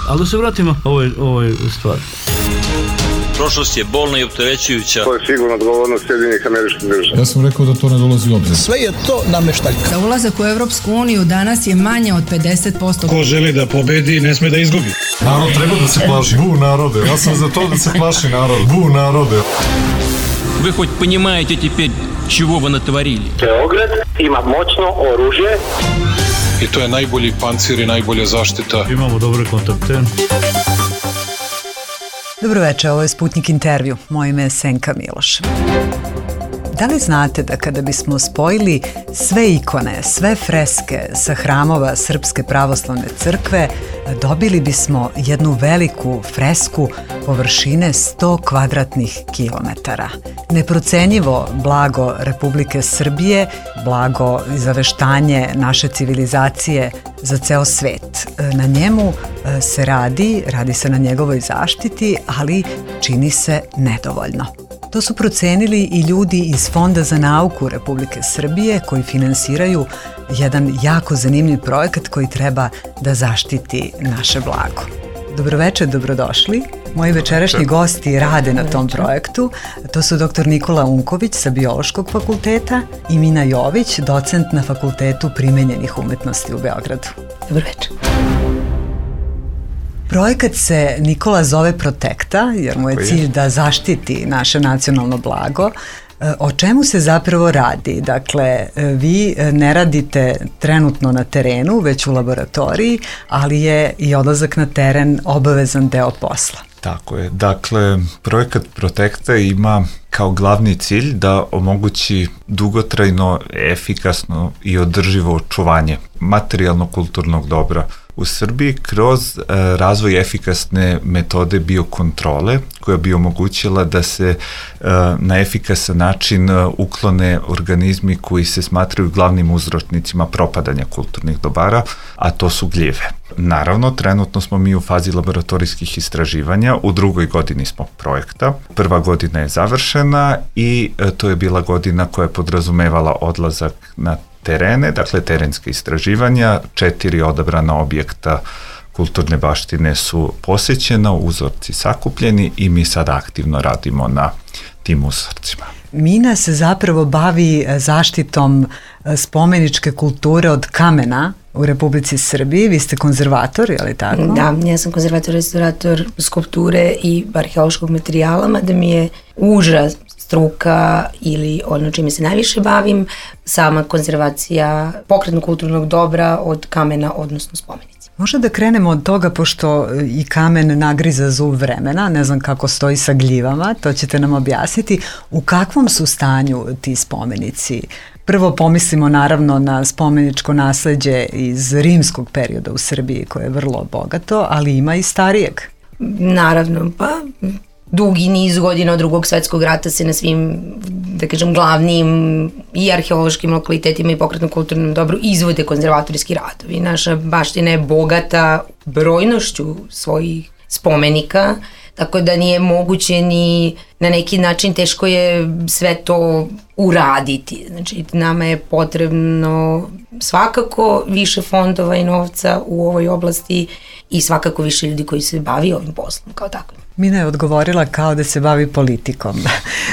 Ali da se vratimo ovoj stvari. Prošlost je bolna i opterećujuća. To je sigurno odgovornost Sjedinjenih Američkih Država. Ja sam rekao da to ne dolazi u obzir. Sve je to nameštaljka. Za ulazak u Evropsku uniju danas je manje od 50%. Ko želi da pobedi, ne sme da izgubi. Narod treba da se plaši. Bu narode. Ja sam za to da se plaši narod. Bu narode. Вы хоть понимаете теперь, чего вы натворили? Beograd ima moćno oružje. I to je najbolji pancir i najbolja zaštita. Imamo dobre kontakte. Dobro večer, ovo je Sputnik intervju. Moje ime je Senka Miloš. Da li znate da kada bismo spojili sve ikone, sve freske sa hramova Srpske pravoslavne crkve, dobili bismo jednu veliku fresku površine 100 kvadratnih kilometara. Neprocenjivo blago Republike Srbije, blago i zaveštanje naše civilizacije za ceo svet. Na njemu se radi se na njegovoj zaštiti, ali čini se nedovoljno. To su procenili i ljudi iz Fonda za nauku Republike Srbije koji finansiraju jedan jako zanimljiv projekat koji treba da zaštiti naše blago. Dobroveče, dobrodošli. Moji večerašnji gosti rade na tom projektu. To su dr. Nikola Unković sa Biološkog fakulteta i Mina Jović, docent na Fakultetu primenjenih umetnosti u Beogradu. Dobroveče. Projekat se, Nikola, zove Protekta, jer mu je cilj da zaštiti naše nacionalno blago. O čemu se zapravo radi? Dakle, vi ne radite trenutno na terenu, već u laboratoriji, ali je i odlazak na teren obavezan deo posla. Tako je. Dakle, projekat Protekta ima kao glavni cilj da omogući dugotrajno, efikasno i održivo očuvanje materijalno-kulturnog dobra u Srbiji kroz razvoj efikasne metode biokontrole koja bi omogućila da se na efikasan način uklone organizmi koji se smatraju glavnim uzročnicima propadanja kulturnih dobara, a to su gljive. Naravno, trenutno smo mi u fazi laboratorijskih istraživanja, u 2. godini smo projekta. 1. godina je završena i to je bila godina koja je podrazumevala odlazak na terene, dakle terenske istraživanja, 4 odabrana objekta kulturne baštine su posećena, uzorci sakupljeni i mi sad aktivno radimo na tim uzorcima. Mina se zapravo bavi zaštitom spomeničke kulture od kamena u Republici Srbiji. Vi ste konzervator, je li tako? Da, ja sam konzervator, restaurator skulpture i arheološkog materijala, mada mi je uža struka ili ono čime se najviše bavim, sama konzervacija pokretnog kulturnog dobra od kamena, odnosno spomenici. Možda da krenemo od toga, pošto i kamen nagriza zub vremena, ne znam kako stoji sa gljivama, to ćete nam objasniti. U kakvom su stanju ti spomenici? Prvo pomislimo naravno na spomeničko nasleđe iz rimskog perioda u Srbiji, koje je vrlo bogato, ali ima i starijeg. Naravno, pa dugi niz godina od Drugog svetskog rata se na svim, da kažem, glavnim i arheološkim lokalitetima i pokretnom kulturnom dobru izvode konzervatorijski radovi. Naša baština je bogata brojnošću svojih spomenika, tako da nije moguće ni na neki način, teško je sve to uraditi. Znači, nama je potrebno svakako više fondova i novca u ovoj oblasti i svakako više ljudi koji se bavi ovim poslom kao tako. Mina je odgovorila kao da se bavi politikom.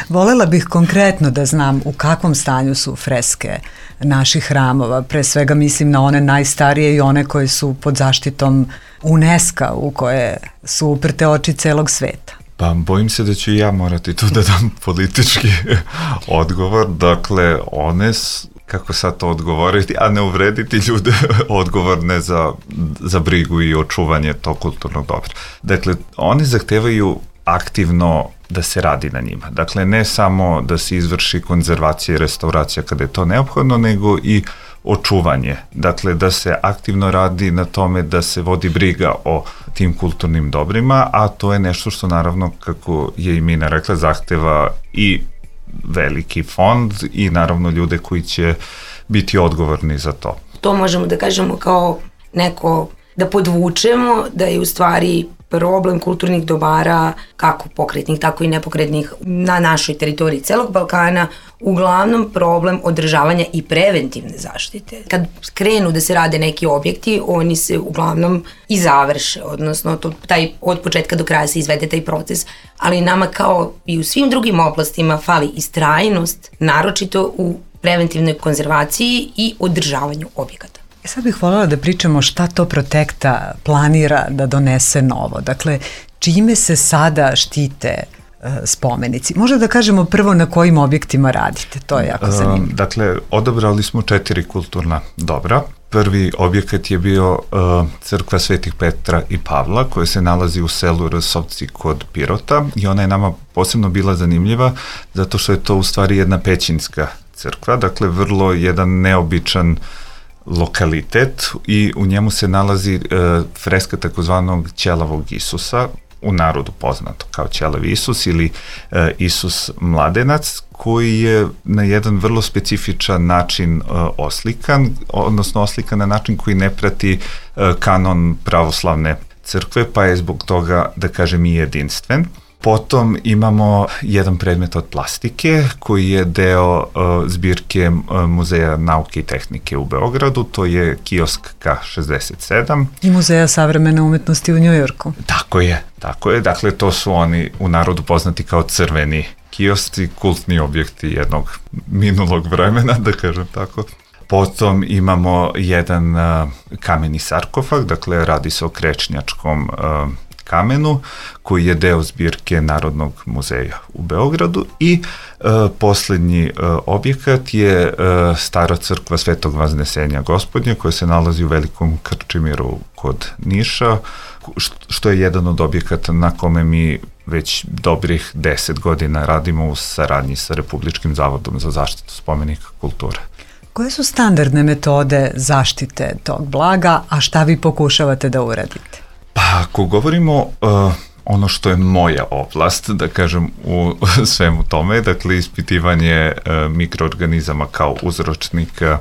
Volela bih konkretno da znam u kakvom stanju su freske naših hramova. Pre svega mislim na one najstarije i one koje su pod zaštitom UNESCO-a, u koje su uprte oči celog sveta. Pa bojim se da ću i ja morati tu da dam politički odgovor. Dakle, one kako sad to odgovoriti, a ne uvrediti ljude odgovorne za brigu i očuvanje tog kulturnog dobra. Dakle, oni zahtevaju aktivno da se radi na njima. Dakle, ne samo da se izvrši konzervacija i restauracija kada je to neophodno, nego i očuvanje. Dakle, da se aktivno radi na tome da se vodi briga o tim kulturnim dobrima, a to je nešto što naravno, kako je i Mina rekla, zahteva i veliki fond i naravno ljude koji će biti odgovorni za to. To možemo da kažemo kao neko, da podvučemo da je u stvari problem kulturnih dobara, kako pokretnih, tako i nepokretnih, na našoj teritoriji celog Balkana, uglavnom problem održavanja i preventivne zaštite. Kad krenu da se rade neki objekti, oni se uglavnom i završe, odnosno od početka do kraja se izvede taj proces, ali nama kao i u svim drugim oblastima fali istrajnost, naročito u preventivnoj konzervaciji i održavanju objekata. Sad bih voljela da pričamo šta to Protekta planira da donese novo. Dakle, čime se sada štite spomenici? Možda da kažemo prvo na kojim objektima radite, to je jako zanimljivo. Dakle, odabrali smo 4 kulturna dobra. Prvi objekat je bio crkva Svetih Petra i Pavla, koja se nalazi u selu Rsovci kod Pirota i ona je nama posebno bila zanimljiva zato što je to u stvari jedna pećinska crkva, dakle vrlo jedan neobičan lokalitet i u njemu se nalazi freska takozvanog ćelavog Isusa, u narodu poznato kao ćelav Isus ili Isus mladenac, koji je na jedan vrlo specifičan način oslikan, odnosno oslikan na način koji ne prati kanon pravoslavne crkve, pa je zbog toga, da kažem, i jedinstven. Potom imamo jedan predmet od plastike koji je deo zbirke Muzeja nauke i tehnike u Beogradu, to je kiosk K67. I Muzeja savremene umetnosti u Njujorku. Tako je, dakle to su oni u narodu poznati kao crveni kiosci, kultni objekti jednog minulog vremena, da kažem tako. Potom imamo jedan kameni sarkofag, dakle radi se o krečnjačkom kamenu, koji je deo zbirke Narodnog muzeja u Beogradu i poslednji objekat je stara crkva Svetog Vaznesenja Gospodnje, koja se nalazi u Velikom Krčimiru kod Niša, što je jedan od objekata na kome mi već dobrih 10 godina radimo u saradnji sa Republičkim zavodom za zaštitu spomenika kulture. Koje su standardne metode zaštite tog blaga, a šta vi pokušavate da uradite? Pa ako govorimo ono što je moja oblast, da kažem, u svemu tome, dakle ispitivanje mikroorganizama kao uzročnika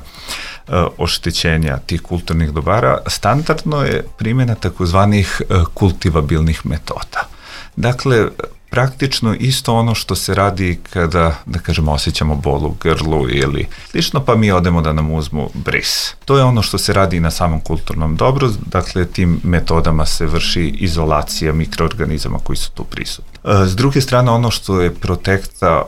oštećenja tih kulturnih dobara, standardno je primjena takozvanih kultivabilnih metoda. Dakle, praktično isto ono što se radi kada, da kažemo, osjećamo bol u grlu ili slično, pa mi odemo da nam uzmu bris. To je ono što se radi na samom kulturnom dobru, dakle tim metodama se vrši izolacija mikroorganizama koji su tu prisutni. S druge strane, ono što je Protekta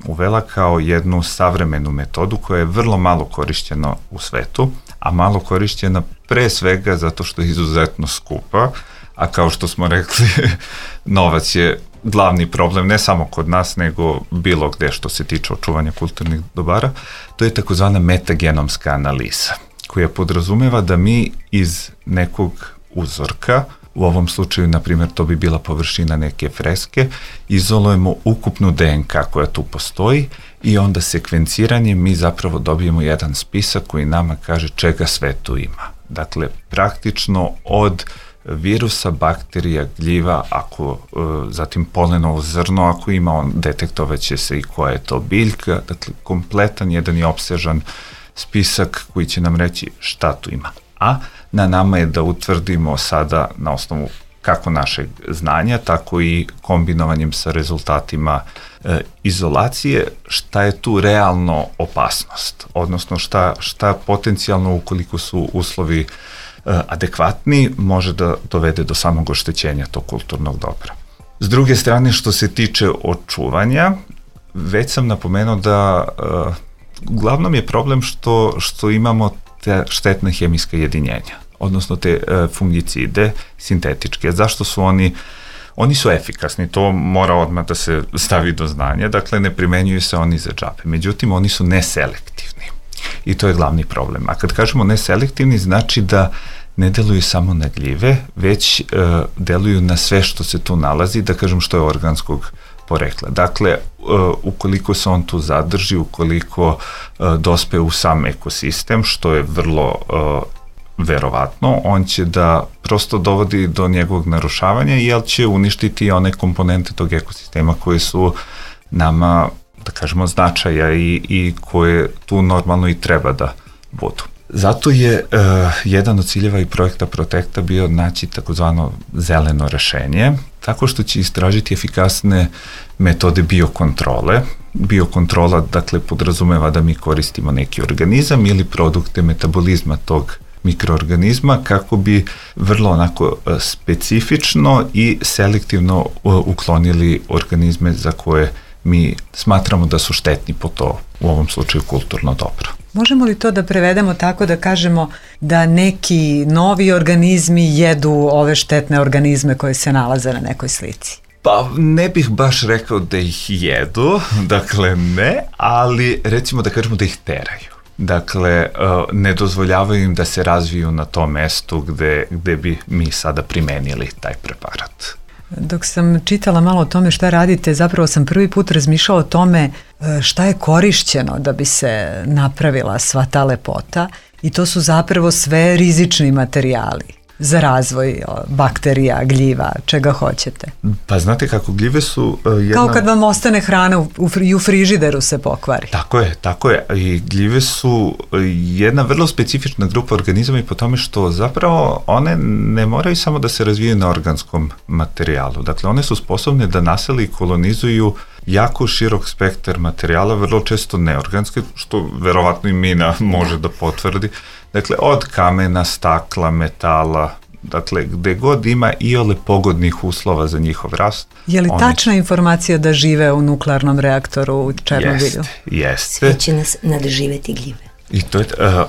uvela kao jednu savremenu metodu koja je vrlo malo korišćena u svetu, a malo korišćena pre svega zato što je izuzetno skupa, a kao što smo rekli, novac je glavni problem, ne samo kod nas, nego bilo gde što se tiče očuvanja kulturnih dobara, to je takozvana metagenomska analiza, koja podrazumeva da mi iz nekog uzorka, u ovom slučaju, na primjer, to bi bila površina neke freske, izolujemo ukupnu DNK koja tu postoji i onda sekvenciranjem mi zapravo dobijemo jedan spisak koji nama kaže čega sve tu ima. Dakle, praktično od virusa, bakterija, gljiva, zatim polenovo zrno, ako ima, detektovaće se i koja je to biljka, dakle kompletan jedan i opsežan spisak koji će nam reći šta tu ima. A na nama je da utvrdimo sada na osnovu kako našeg znanja, tako i kombinovanjem sa rezultatima izolacije, šta je tu realno opasnost, odnosno šta potencijalno, ukoliko su uslovi adekvatni, može da dovede do samog oštećenja tog kulturnog dobra. S druge strane, što se tiče očuvanja, već sam napomenuo da uglavnom je problem što imamo te štetne hemijske jedinjenja, odnosno te fungicide sintetičke. Zašto su oni su efikasni, to mora odmah da se stavi do znanja, dakle ne primenjuju se oni za džabe, međutim oni su neselektivni i to je glavni problem. A kad kažemo neselektivni, znači da ne deluju samo na gljive, već deluju na sve što se tu nalazi, da kažem što je organskog porekla. Dakle, ukoliko se on tu zadrži, ukoliko dospe u sam ekosistem, što je vrlo verovatno, on će da prosto dovodi do njegovog narušavanja, jer će uništiti one komponente tog ekosistema koje su nama, da kažemo, značaja i koje tu normalno i treba da budu. Zato je jedan od ciljeva i projekta Protekta bio naći takozvano zeleno rešenje, tako što će istražiti efikasne metode biokontrole. Biokontrola, dakle, podrazumeva da mi koristimo neki organizam ili produkte metabolizma tog mikroorganizma kako bi vrlo onako specifično i selektivno uklonili organizme za koje mi smatramo da su štetni po to, u ovom slučaju, kulturno dobro. Možemo li to da prevedemo tako da kažemo da neki novi organizmi jedu ove štetne organizme koje se nalaze na nekoj slici? Pa ne bih baš rekao da ih jedu, dakle ne, ali recimo da kažemo da ih teraju. Dakle, ne dozvoljavaju im da se razviju na tom mestu gde bi mi sada primenili taj preparat. Dok sam čitala malo o tome šta radite, zapravo sam prvi put razmišljala o tome šta je korišćeno da bi se napravila sva ta lepota i to su zapravo sve rizični materijali za razvoj bakterija, gljiva, čega hoćete. Pa znate kako, gljive su Kao kad vam ostane hrana i u frižideru se pokvari. Tako je. I gljive su jedna vrlo specifična grupa organizama i po tome što zapravo one ne moraju samo da se razvijaju na organskom materijalu. Dakle, one su sposobne da nasele i kolonizuju jako širok spektar materijala, vrlo često neorganske, što verovatno i mina može da potvrdi. Dakle, od kamena, stakla, metala, dakle, gde god ima iole pogodnih uslova za njihov rast. Je li tačna informacija da žive u nuklearnom reaktoru u Černobilju? Jeste. Sve će nas nadživeti gljive. I to je,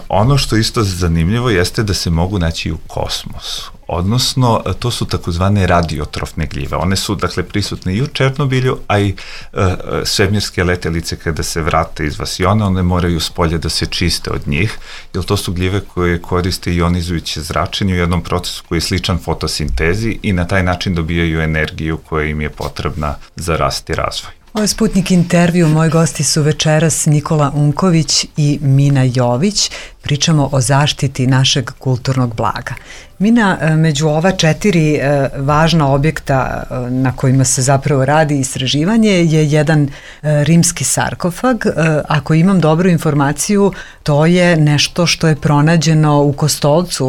ono što isto zanimljivo jeste da se mogu naći u kosmosu. Odnosno, to su takozvane radiotrofne gljive. One su, dakle, prisutne i u Černobilju, a i svemirske letelice kada se vrate iz vasiona, one moraju spolje da se čiste od njih, jer to su gljive koje koriste ionizujuće zračenje u jednom procesu koji je sličan fotosintezi i na taj način dobijaju energiju koja im je potrebna za rast i razvoj. Ovo je Sputnik intervju, moji gosti su večeras Nikola Unković i Mina Jović. Pričamo o zaštiti našeg kulturnog blaga. Mina, među ova 4 važna objekta na kojima se zapravo radi istraživanje je jedan rimski sarkofag. Ako imam dobru informaciju, to je nešto što je pronađeno u Kostolcu,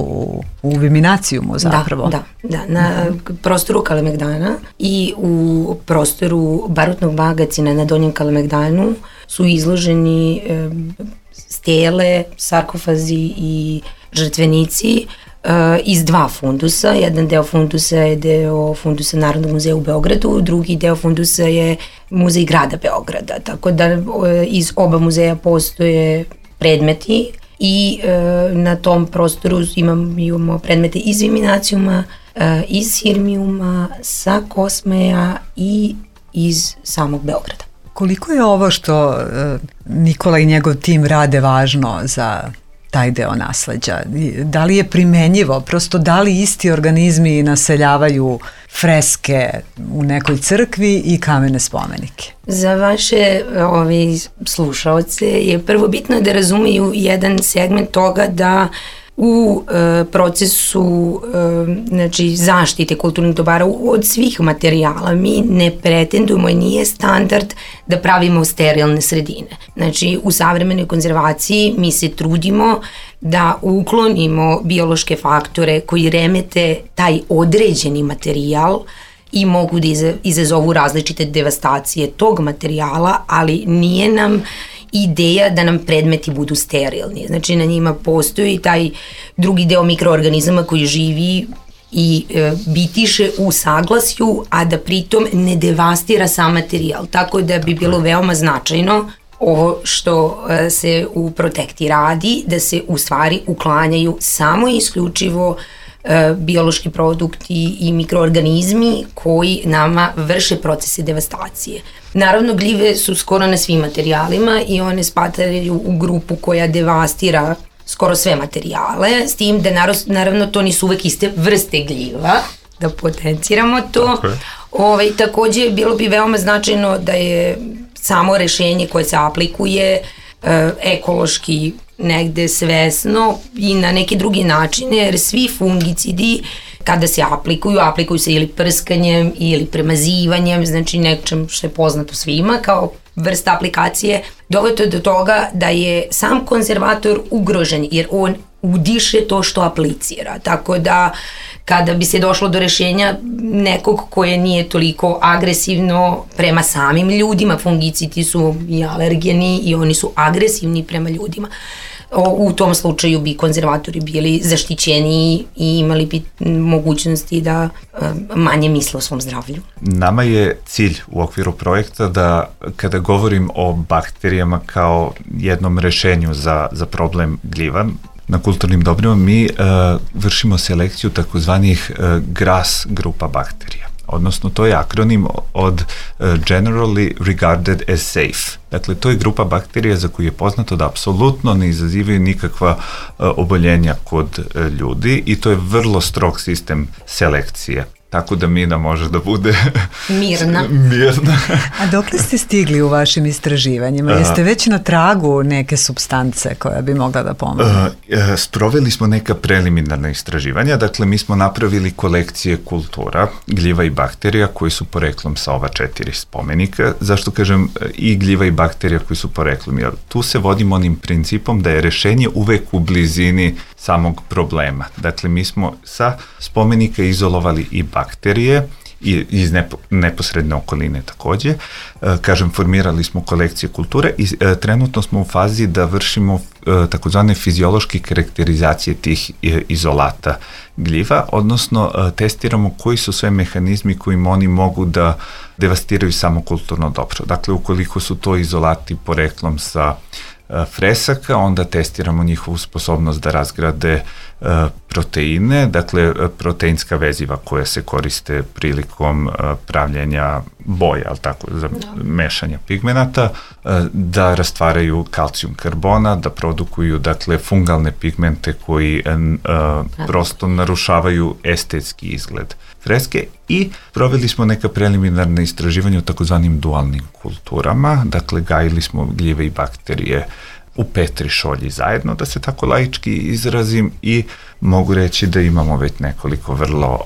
u Viminacijumu zapravo. Da, na prostoru Kalemegdana i u prostoru barutnog magacina na Donjem Kalemegdanu su izloženi stele, sarkofazi i žrtvenici iz 2 fundusa. Jedan deo fundusa je deo fundusa Narodnog muzeja u Beogradu, drugi deo fundusa je muzej grada Beograda, tako da iz oba muzeja postoje predmeti i na tom prostoru imamo predmete iz Viminacijuma, iz Sirmijuma, sa Kosmeja i iz samog Beograda. Koliko je ovo što Nikola i njegov tim rade važno za taj deo nasleđa? Da li je primenjivo? Prosto da li isti organizmi naseljavaju freske u nekoj crkvi i kamene spomenike? Za vaše slušaoce je prvo bitno da razumeju jedan segment toga da u procesu zaštite kulturnih dobara od svih materijala mi ne pretendujemo i nije standard da pravimo sterilne sredine. Znači, u savremenoj konzervaciji mi se trudimo da uklonimo biološke faktore koji remete taj određeni materijal i mogu da izazovu različite devastacije tog materijala, ali nije nam ideja da nam predmeti budu sterilni. Znači, na njima postoji taj drugi deo mikroorganizama koji živi i bitiše u saglasju, a da pritom ne devastira sam materijal. Tako da bi bilo veoma značajno ovo što se u Protekti radi, da se u stvari uklanjaju samo i isključivo biološki produkti i mikroorganizmi koji nama vrše procese devastacije. Naravno, gljive su skoro na svim materijalima i one spadaju u grupu koja devastira skoro sve materijale, s tim da naravno to nisu uvek iste vrste gljiva, da potenciramo to. Takođe, bilo bi veoma značajno da je samo rešenje koje se aplikuje ekološki negde svesno i na neke druge načine, jer svi fungicidi kada se aplikuju se ili prskanjem ili premazivanjem, znači nečem što je poznato svima kao vrsta aplikacije, dovodi do toga da je sam konzervator ugrožen, jer on udiše to što aplicira. Tako da kada bi se došlo do rešenja nekog koje nije toliko agresivno prema samim ljudima, fungicidi su i alergeni i oni su agresivni prema ljudima, u tom slučaju bi konzervatori bili zaštićeni i imali bi mogućnosti da manje misle o svom zdravlju. Nama je cilj u okviru projekta da kada govorim o bakterijama kao jednom rešenju za problem gljiva, na kulturnim dobrima mi vršimo selekciju takozvanih GRAS grupa bakterija. Odnosno, to je akronim od Generally Regarded as Safe. Dakle, to je grupa bakterija za koju je poznato da apsolutno ne izazivaju nikakva oboljenja kod ljudi i to je vrlo strog sistem selekcije. Tako da Mina može da bude mirna. A dokle ste stigli u vašim istraživanjima? Jeste već na tragu neke supstance koja bi mogla da pomogne? Sproveli smo neka preliminarna istraživanja, dakle mi smo napravili kolekcije kultura, gljiva i bakterija koji su poreklom sa ova 4 spomenika. Zašto kažem i gljiva i bakterija koji su poreklom? Jer tu se vodimo onim principom da je rešenje uvek u blizini samog problema. Dakle, mi smo sa spomenika izolovali i bakterije i iz neposredne okoline takođe. Kažem, formirali smo kolekcije kulture i trenutno smo u fazi da vršimo takozvane fiziološke karakterizacije tih izolata gljiva, odnosno testiramo koji su sve mehanizmi kojim oni mogu da devastiraju samo kulturno dobro. Dakle, ukoliko su to izolati poreklom sa fresaka, onda testiramo njihovu sposobnost da razgrade proteine, dakle proteinska veziva koja se koriste prilikom pravljenja boja, ali tako, za mešanja pigmenata, da rastvaraju kalcijum karbona, da produkuju, dakle, fungalne pigmente koji prosto narušavaju estetski izgled freske i proveli smo neka preliminarna istraživanja o takozvanim dualnim kulturama, dakle gajili smo gljive i bakterije u Petri šolji zajedno, da se tako laički izrazim, i mogu reći da imamo već nekoliko vrlo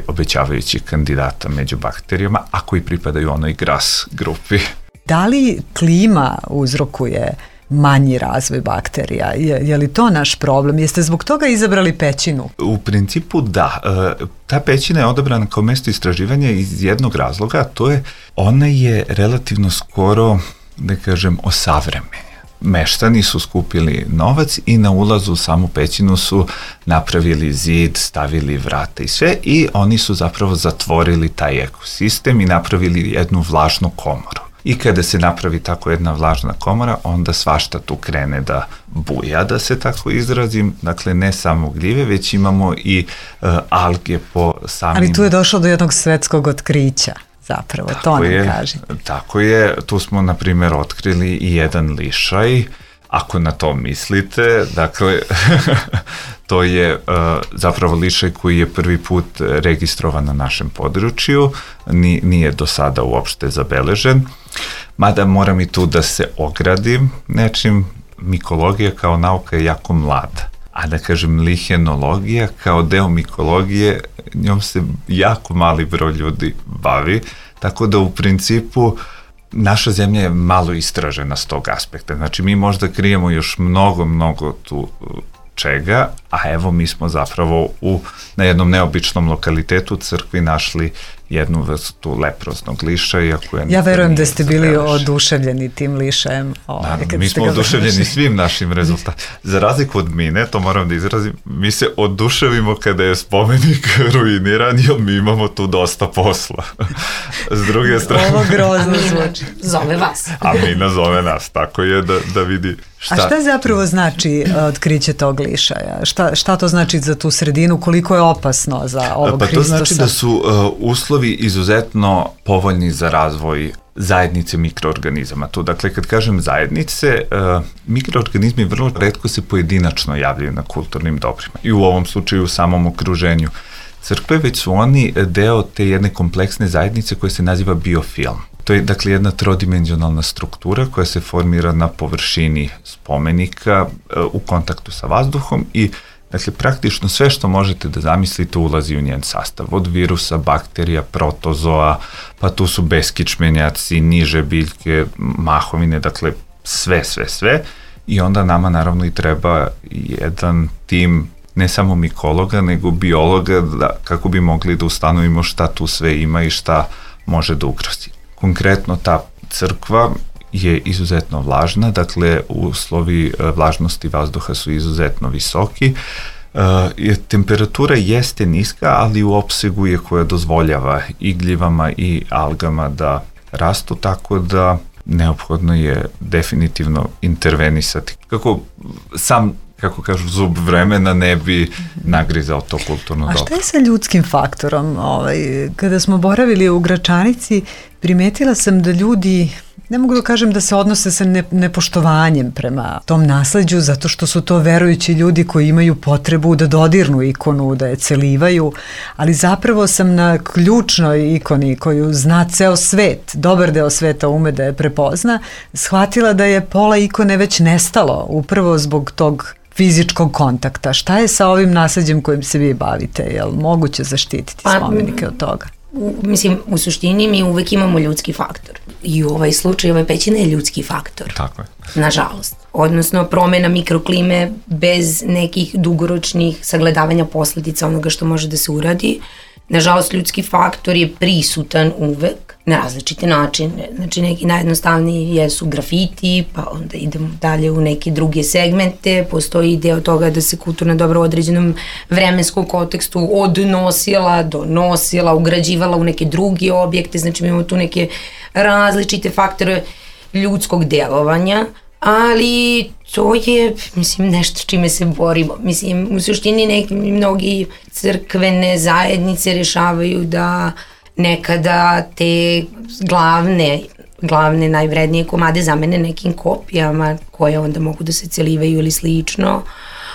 obećavajućih kandidata među bakterijama, a koji pripadaju onoj GRAS grupi. Da li klima uzrokuje manji razvoj bakterija? Je li to naš problem? Jeste zbog toga izabrali pećinu? U principu da. Ta pećina je odabrana kao mesto istraživanja iz jednog razloga, a to je, ona je relativno skoro, da kažem, osavremena. Meštani su skupili novac i na ulazu u samu pećinu su napravili zid, stavili vrata i sve, i oni su zapravo zatvorili taj ekosistem i napravili jednu vlažnu komoru. I kada se napravi tako jedna vlažna komora, onda svašta tu krene da buja, da se tako izrazim. Dakle, ne samo gljive, već imamo i alge po samim... Ali tu je došlo do jednog svetskog otkrića, zapravo, tako to nam kaže. Tako je, tu smo, na primjer, otkrili i jedan lišaj, ako na to mislite, dakle, to je zapravo lišaj koji je prvi put registrovan na našem području, nije do sada uopšte zabeležen, mada moram i tu da se ogradim nečim, mikologija kao nauka je jako mlada, a da kažem lihenologija kao deo mikologije, njom se jako mali broj ljudi bavi, tako da u principu naša zemlja je malo istražena s tog aspekta. Znači, mi možda krijemo još mnogo tu čega, a evo mi smo zapravo na jednom neobičnom lokalitetu crkvi našli jednu vrstu leproznog lišaja. Ja verujem da ste bili oduševljeni tim lišajem. Mi smo oduševljeni svim našim rezultatima. Za razliku od Mine, to moram da izrazim, mi se oduševimo kada je spomenik ruiniran, jer mi imamo tu dosta posla. S druge strane... Ovo grozno zvuči. Zove vas. A Mina zove nas, tako je da vidi šta... A šta zapravo znači otkriće tog lišaja? Šta to znači za tu sredinu? Koliko je opasno za ovog Hristosa? Pa to znači da su uslovi izuzetno povoljni za razvoj zajednice mikroorganizama. To, dakle, kad kažem zajednice, mikroorganizmi vrlo retko se pojedinačno javljaju na kulturnim dobrima i u ovom slučaju u samom okruženju crkve, već su oni deo te jedne kompleksne zajednice koja se naziva biofilm. To je, dakle, jedna trodimenzionalna struktura koja se formira na površini spomenika u kontaktu sa vazduhom i Dakle, praktično sve što možete da zamislite ulazi u njen sastav. Od virusa, bakterija, protozoa, pa tu su beskičmenjaci, niže biljke, mahovine, dakle sve. I onda nama naravno i treba jedan tim ne samo mikologa, nego biologa kako bi mogli da ustanovimo šta tu sve ima i šta može da ugrozi. Konkretno ta crkva je izuzetno vlažna, dakle uslovi vlažnosti vazduha su izuzetno visoki. Temperatura jeste niska, ali u opsegu je koja dozvoljava i gljivama i algama da rastu, tako da neophodno je definitivno intervenisati. Kako kažu, zub vremena ne bi nagrizao to kulturno dobro. A šta je sa ljudskim faktorom? Kada smo boravili u Gračanici, primetila sam da ljudi, ne mogu da kažem da se odnose sa nepoštovanjem prema tom nasleđu, zato što su to verujući ljudi koji imaju potrebu da dodirnu ikonu, da je celivaju, ali zapravo sam na ključnoj ikoni koju zna ceo svet, dobar deo sveta ume da je prepozna, shvatila da je pola ikone već nestalo, upravo zbog tog fizičkog kontakta. Šta je sa ovim nasleđem kojim se vi bavite? Je li moguće zaštititi spomenike od toga? U suštini mi uvek imamo ljudski faktor. I u ovaj slučaj, ova pećina je ljudski faktor. Tako je. Nažalost. Odnosno, promena mikroklime bez nekih dugoročnih sagledavanja posledica onoga što može da se uradi. Nažalost, ljudski faktor je prisutan uvek na različite načine. Znači, neki najjednostavniji jesu grafiti, pa onda idemo dalje u neke druge segmente. Postoji deo toga da se kulturna dobra u određenom vremenskom kontekstu odnosila, donosila, ugrađivala u neke druge objekte. Znači, mi imamo tu neke različite faktore ljudskog delovanja, ali to je, nešto s čime se borimo. U suštini mnogi crkvene zajednice rešavaju da nekada te glavne najvrednije komade zamene nekim kopijama koje onda mogu da se celivaju ili slično,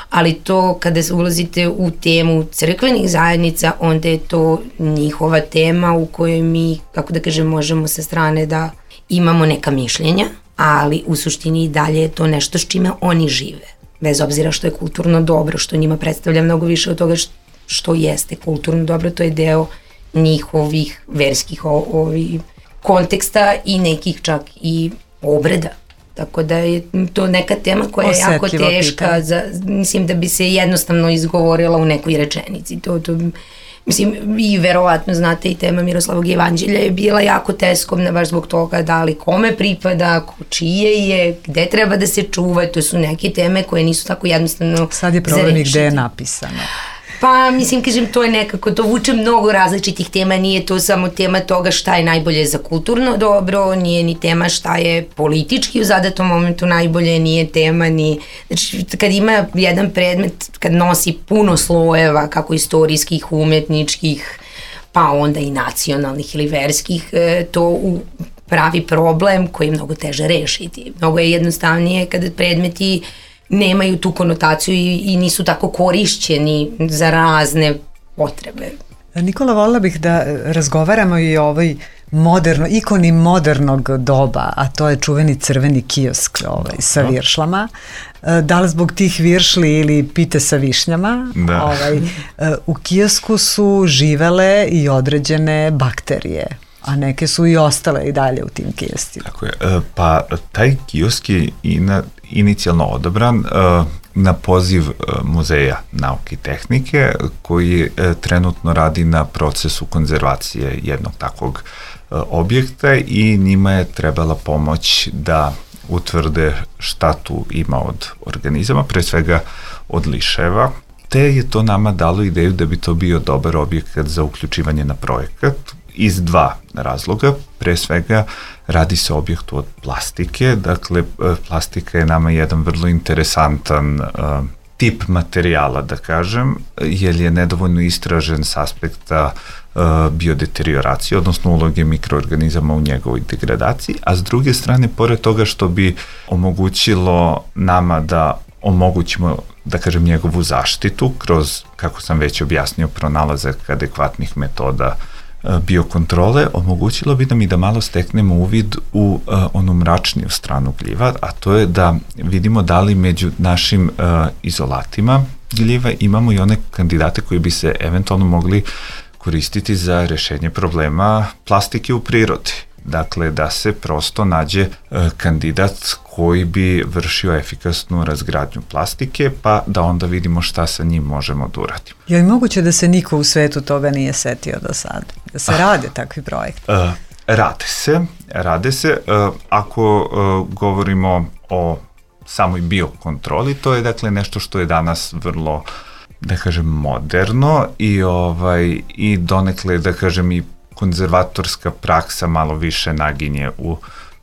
ali to kada ulazite u temu crkvenih zajednica, onda je to njihova tema u kojoj mi, kako da kažem, možemo sa strane da imamo neka mišljenja, ali u suštini i dalje je to nešto s čime oni žive. Bez obzira što je kulturno dobro, što njima predstavlja mnogo više od toga što jeste kulturno dobro, to je deo njihovih verskih konteksta i nekih čak i obreda. Tako da je to neka tema koja je jako teška, mislim da bi se jednostavno izgovorila u nekoj rečenici. I verovatno znate i tema Miroslavog jevanđelja je bila jako teskovna baš zbog toga da li kome pripada, čije je, gde treba da se čuva, to su neke teme koje nisu tako jednostavno. Sad je problem i gde je napisano. Pa kažem, to je nekako, to vuče mnogo različitih tema, nije to samo tema toga šta je najbolje za kulturno dobro, nije ni tema šta je politički u zadatom momentu najbolje, nije tema ni, znači kad ima jedan predmet, kad nosi puno slojeva, kako istorijskih, umetničkih, pa onda i nacionalnih ili verskih, to pravi problem koji je mnogo teže rešiti. Mnogo je jednostavnije kada predmeti nemaju tu konotaciju i nisu tako korišćeni za razne potrebe. Nikola, volila bih da razgovaramo i o ovoj ikoni modernog doba, a to je čuveni crveni kiosk sa viršlama. Da li zbog tih viršli ili pite sa višnjama, u kiosku su živele i određene bakterije, a neke su i ostale i dalje u tim kioscima. Tako je. Pa taj kiosk je inicijalno odabran na poziv Muzeja nauke i tehnike koji trenutno radi na procesu konzervacije jednog takvog objekta i njima je trebala pomoć da utvrde šta tu ima od organizama, pre svega od liševa, te je to nama dalo ideju da bi to bio dobar objekat za uključivanje na projekat iz dva razloga. Pre svega radi se o objektu od plastike, dakle plastika je nama jedan vrlo interesantan tip materijala, da kažem, jer je nedovoljno istražen s aspekta biodeterioracije, odnosno uloge mikroorganizama u njegovoj degradaciji, a s druge strane, pored toga što bi omogućilo nama da omogućimo, da kažem, njegovu zaštitu kroz, kako sam već objasnio, pronalazak adekvatnih metoda biokontrole, omogućilo bi nam i da malo steknemo uvid u onu mračniju stranu gljiva, a to je da vidimo da li među našim izolatima, gljive, imamo i one kandidate koji bi se eventualno mogli koristiti za rešenje problema plastike u prirodi. Dakle, da se prosto nađe kandidat koji bi vršio efikasnu razgradnju plastike, pa da onda vidimo šta sa njim možemo da uradimo. Je li moguće da se niko u svetu toga nije setio do sada? Da se rade takvi projekti? Rade se. Ako govorimo o samoj biokontroli, to je dakle nešto što je danas vrlo, da kažem, moderno i donekle, da kažem, i konzervatorska praksa malo više naginje u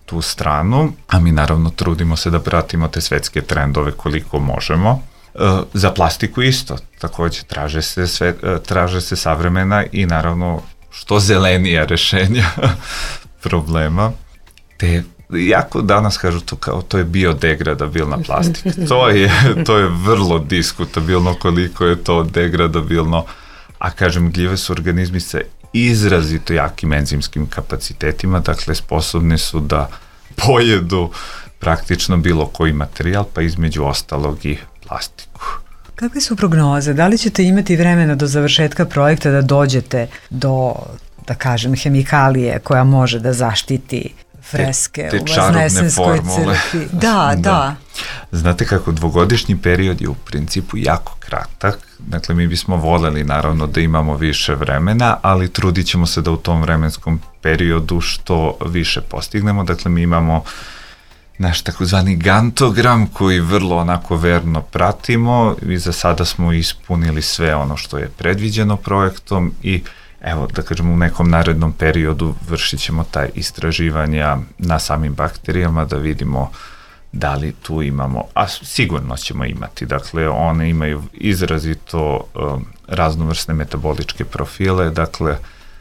tu stranu, a mi naravno trudimo se da pratimo te svetske trendove koliko možemo. Za plastiku isto, takođe traže se savremena i naravno što zelenija rešenja problema, te jako danas kažu to kao to je biodegradabilna plastika. To je vrlo diskutabilno koliko je to degradabilno, a kažem, gljive su organizmi sa izrazito jakim enzimskim kapacitetima, dakle sposobni su da pojedu praktično bilo koji materijal, pa između ostalog i plastiku. Kakve su prognoze? Da li ćete imati vremena do završetka projekta da dođete do, da kažem, hemikalije koja može da zaštiti freske te u Vaznesenskoj crkvi? Da. Znate kako, dvogodišnji period je u principu jako kratak, dakle mi bismo voljeli naravno da imamo više vremena, ali trudit ćemo se da u tom vremenskom periodu što više postignemo, dakle mi imamo naš takozvani gantogram koji vrlo onako verno pratimo i za sada smo ispunili sve ono što je predviđeno projektom i evo, da kažemo, u nekom narednom periodu vršit ćemo taj istraživanja na samim bakterijama da vidimo da li tu imamo, a sigurno ćemo imati, dakle one imaju izrazito raznovrsne metaboličke profile, dakle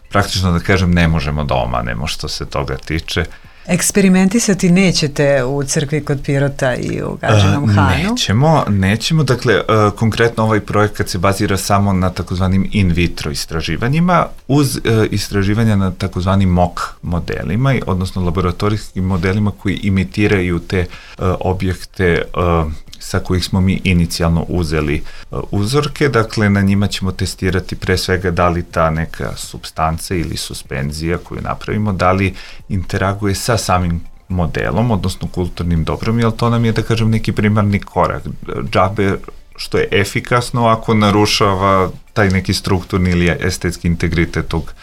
praktično da kažem ne možemo da omanemo što se toga tiče. Eksperimentisati nećete u crkvi kod Pirota i u Gadžinom Hanu? Nećemo, dakle konkretno ovaj projekat se bazira samo na takozvanim in vitro istraživanjima uz istraživanja na takozvanim mock modelima, odnosno laboratorijskim modelima koji imitiraju te objekte sa kojih smo mi inicijalno uzeli uzorke, dakle na njima ćemo testirati pre svega da li ta neka supstanca ili suspenzija koju napravimo, da li interaguje sa samim modelom, odnosno kulturnim dobrom, jer to nam je, da kažem, neki primarni korak. Džabe što je efikasno ako narušava taj neki strukturni ili estetski integritet tog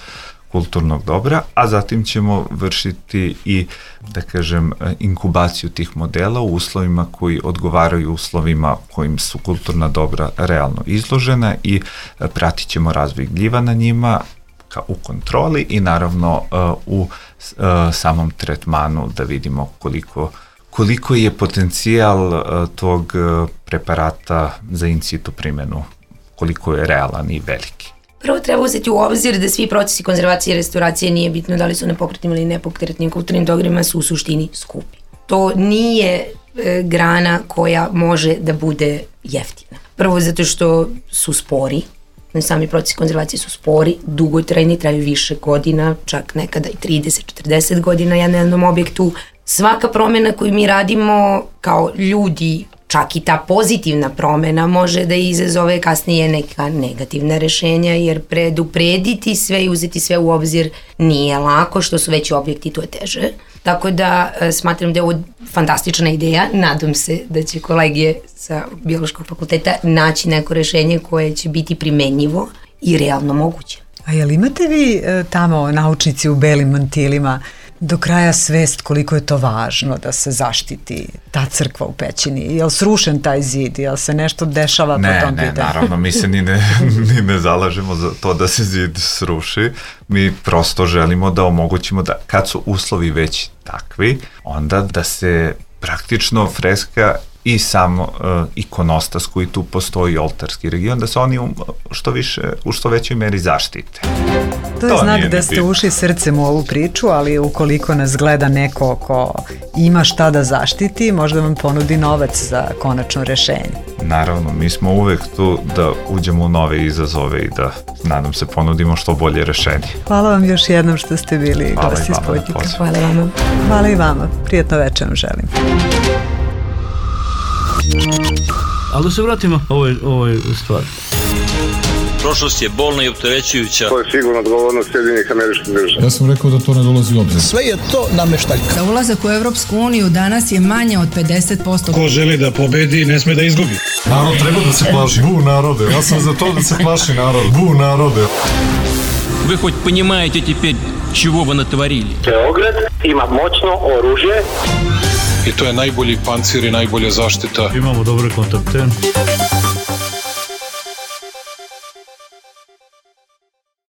kulturnog dobra, a zatim ćemo vršiti i, da kažem, inkubaciju tih modela u uslovima koji odgovaraju uslovima kojim su kulturna dobra realno izložena i pratit ćemo razvoj gljiva na njima u kontroli i naravno u samom tretmanu da vidimo koliko je potencijal tog preparata za in situ primjenu, koliko je realan i veliki. Prvo treba uzeti u obzir da svi procesi konzervacije i restauracije, nije bitno da li su na pokretnim ili nepokretnim kulturnim dobrima, su u suštini skupi. To nije grana koja može da bude jeftina. Prvo zato što su spori, sami procesi konzervacije su spori, dugotrajni, traju više godina, čak nekada i 30-40 godina na jednom objektu. Svaka promjena koju mi radimo kao ljudi, čak i ta pozitivna promjena može da izazove kasnije neka negativna rešenja, jer preduprediti sve i uzeti sve u obzir nije lako, što su veći objekti, to je teže. Tako da smatram da je ovo fantastična ideja, nadam se da će kolege sa Biološkog fakulteta naći neko rešenje koje će biti primenjivo i realno moguće. A jel imate vi tamo, naučnici u belim mantilima, do kraja svest koliko je to važno da se zaštiti ta crkva u pećini? Je li srušen taj zid? Je li se nešto dešava po tom pitanju? Ne, naravno, mi se ni ne zalažemo za to da se zid sruši. Mi prosto želimo da omogućimo da kad su uslovi već takvi, onda da se praktično freska i sam ikonostas koji tu postoji, oltarski region, da se oni u što većoj meri zaštite. To je znak da ste ušli srcem u ovu priču, ali ukoliko nas gleda neko ko ima šta da zaštiti, možda vam ponudi novac za konačno rešenje. Naravno, mi smo uvek tu da uđemo u nove izazove i da, nadam se, ponudimo što bolje rešenje. Hvala vam još jednom što ste bili gosti Sputnjika. Hvala vama. Hvala i vama. Prijetno večer vam želim. Ali da se vratimo ovoj stvari. Prošlost je bolna i opterećujuća. To je sigurno odgovornost Sjedinjenih Američkih Država. Ja sam rekao da to ne dolazi u obzir. Sve je to nameštaljka. Za ulazak u Evropsku uniju danas je manje od 50%. Ko želi da pobedi, ne sme da izgubi. Narod treba da se plaši. Bu narode. Ja sam za to da se plaši narod. Bu narode. Вы хоть понимаете теперь, чего вы натворили? Beograd ima moćno oružje. I to je najbolji pancir i najbolja zaštita. Imamo dobre kontakte.